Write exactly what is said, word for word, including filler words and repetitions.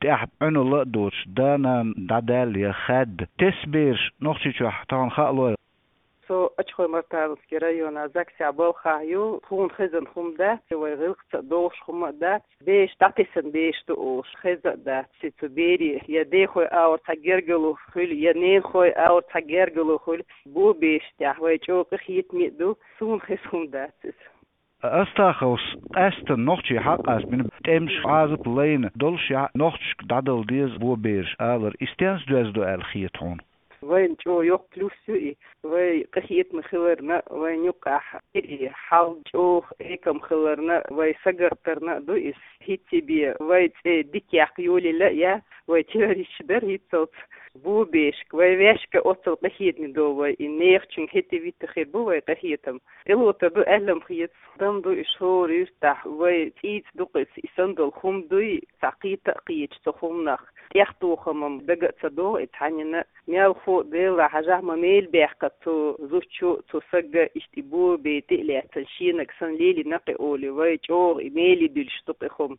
тӀехь Ӏуьналла а доцуш, да-нана дӀадаьлла я хаьдда. Тесса бераш Нохчийчохь тахана хаалой? Со Ачхой-Мартановский района Заксехь балхахь ю, тхуна хезна хӀума дац, вай гӀиллакхца а догӀуш хӀума а дац, бераш дӀатесна бераш ду олуш хезна а дац, цу берийн я дехой агӀор цхьа гергарло хуьлу, я ненахой агӀор цхьа гергарло хуьлу, бо бераш тӀехь вай чӀогӀа къинхетаме а ду, суна хезна хӀума дац иза. Астаховс къаьсттина нохчий хьакъ ас бина, тӀемаш, Ӏазап лайна долуш яхь нохчашка дӀадала деза бо бераш алар, и стенца доьзна ду аьлла хета хьуна? Вайна чӀогӀа йоккха плюс ю и, вай къинхетаме хиларна, вайна юккъехь и хьал чӀогӀа экам хиларна, вай сагатдарна а ду иза. ХӀинца бен вай цӀе дика яккха йолийла а яц, вай террористаш дара хӀинццалц, бо берашка, вай вешка оццул къинхетаме долу вай, и нехачуьнга хӀетте-витте хир бу вай къинхетам. ТӀелота ду аьлла-м хета, дан ду и шора юьртахь, вай цӀийца дукха и санна долу хӀума дуй, цхьа кхета а кхеташ цу хӀуманах, тӀехтохам-м дага а ца догӀу и цхьаннена а, мелхо а, Дела хьажахь, ма мел баьккхина цу зудчо а, цу саго а иштта и бо бен тӀе а лаьцна, шенаг санна лелийна-кх и олий, вай чӀогӀа и меле дуьллуш ду-кх и хӀума.